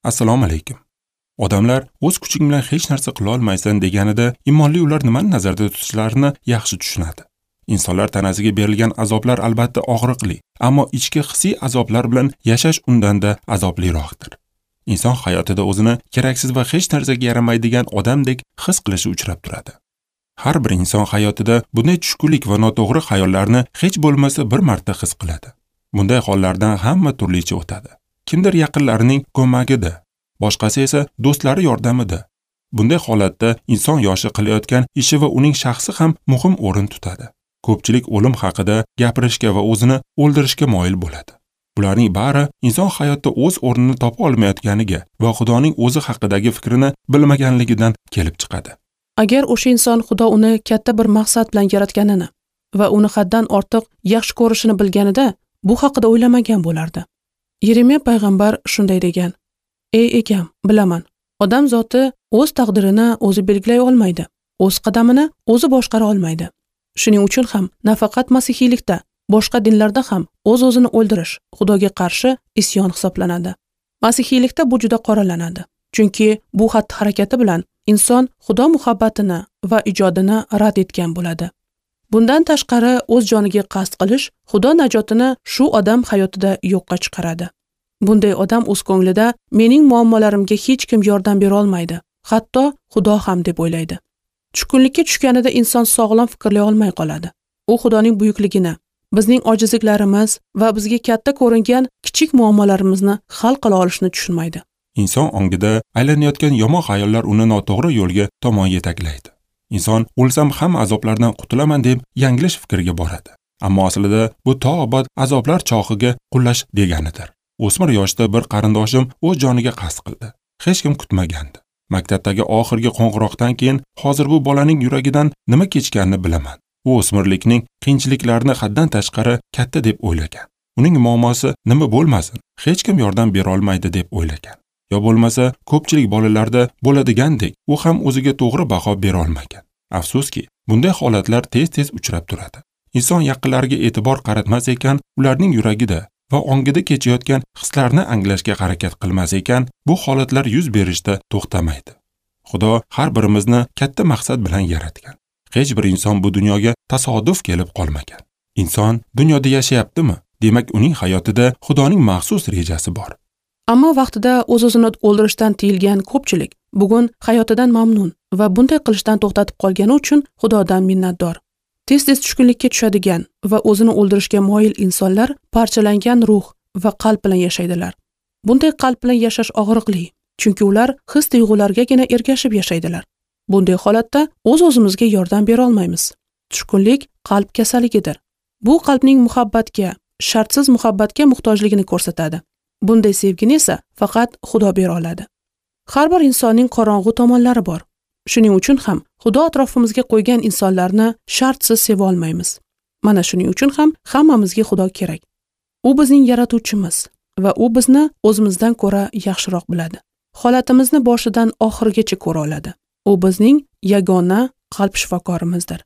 Assalomu alaykum. Odamlar o'z kuching bilan hech narsa qila olmaysan deganida imonli ular nimani nazarda tutishlarini yaxshi tushunadi. Insonlar tanasiga berilgan azoblar albatta og'riqli, ammo ichki hissiy azoblar bilan yashash undanda azobliroqdir. Inson hayotida o'zini keraksiz va hech narsaga yaramaydigan odamdek his qilishi uchrab turadi. Har bir inson hayotida bunday tushkunlik va noto'g'ri xayollarni hech bo'lmasa bir marta his qiladi. Bunday hollardan hamma turlicha o'tadi. Kimdir yaqinlarining ko'magida, boshqasi esa do'stlari yordamida. Bunday holatda inson yoshi qilayotgan ishi va uning shaxsi ham muhim o'rin tutadi. Ko'pchilik o'lim haqida gapirishga va o'zini o'ldirishga moyil bo'ladi. Bularning bari inson hayotda o'z o'rnini topa olmayotganiga va Xudoning o'zi haqidagi fikrini bilmaganligidan kelib chiqadi. Agar o'sha inson Xudo uni katta bir maqsad bilan yaratganini va uni haddan ortiq yaxshi ko'rishini bilganida, bu haqida o'ylamagan bo'lardi. Yeremiya payg'ambar shunday degan: "Ey egam, bilaman, odam zoti o'z taqdirini o'zi belgilay olmaydi, o'z qadamini o'zi boshqara olmaydi. Shuning uchun ham nafaqat masihiylikda, boshqa dinlarda ham o'z-o'zini o'ldirish Xudoga qarshi isyon hisoblanadi. Masihiylikda bu juda qoralanadi, chunki bu xatti-harakati bilan inson Xudo muhabbatini va ijodini rad etgan bo'ladi. Bundan tashqari o'z joniga qasd qilish Xudo najotini shu odam hayotida yo'qqa chiqaradi. Bunday odam o'z ko'nglida mening muammolarimga hech kim yordam bera olmaydi, hatto Xudo ham deb o'ylaydi. Tushkunlikka tushganida inson sog'lom fikrlay olmay qoladi. U Xudoning buyukligini, bizning ojizliklarimiz va bizga katta ko'ringan kichik muammolarimizni hal qila olishini tushunmaydi. Inson ongida aylanayotgan yomon xayollar uni noto'g'ri yo'lga tomon yetaklaydi. Inson o'lsam ham azoblardan qutulaman deb yanglish fikrga boradi. Ammo aslida bu to abad azoblar chog'iga qullash deganidir. O'smir yoshda bir qarindoshim o'z joniga qasd qildi. Hech kim kutmagandi. Maktabdagi oxirgi qo'ng'iroqdan keyin hozir bu bolaning yuragidan nima kechganini bilaman. U o'smirlikning qiyinchiliklarini haddan tashqari katta deb o'ylagan. Uning muammosi nima bo'lmasin, hech kim yordam bera olmaydi deb o'ylagan. Yo bo'lmasa, ko'pchilik bolalarda bo'ladigandek, u ham o'ziga to'g'ri baho bera olmagan. Afsuski, bunday holatlar tez-tez uchrab turadi. Inson yaqinlariga e'tibor qaratmas ekan, ularning yuragida va ongida kechayotgan hislarni anglashga harakat qilmas ekan, bu holatlar yuz berishda to'xtamaydi. Xudo har birimizni katta maqsad bilan yaratgan. Hech bir inson bu dunyoga tasodif kelib qolmagan. Inson dunyoda yashayaptimi? Demak, uning hayotida Xudoning maxsus rejasi bor. Ammo vaqtida o'z-o'zini o'ldirishdan tiyilgan ko'pchilik bugun hayotidan mamnun va bunday qilishdan to'xtatib qolgani uchun Xudodan minnatdor. Tez-tez tushkunlikka tushadigan va o'zini o'ldirishga moyil insonlar parchalangan ruh va qalb bilan yashaydilar. Bunday qalb bilan yashash og'riqli, chunki ular his-tuyg'ulargagina ergashib yashaydilar. Bunday holatda o'z-o'zimizga yordam bera olmaymiz. Tushkunlik qalb kasalligidir. Bu qalbning muhabbatga, shartsiz muhabbatga muhtojligini ko'rsatadi. Bunday sevgini esa faqat Xudo bera oladi. Har bir insonning qorong'u tomonlari bor. Shuning uchun ham Xudo atrofimizga qo'ygan insonlarni shartsiz seva olmaymiz. Mana shuning uchun ham hammamizga Xudo kerak. U bizning yaratuvchimiz va u bizni o'zimizdan ko'ra yaxshiroq biladi. Holatimizni boshidan oxirigacha ko'ra oladi. U bizning yagona qalb shifokorimizdir.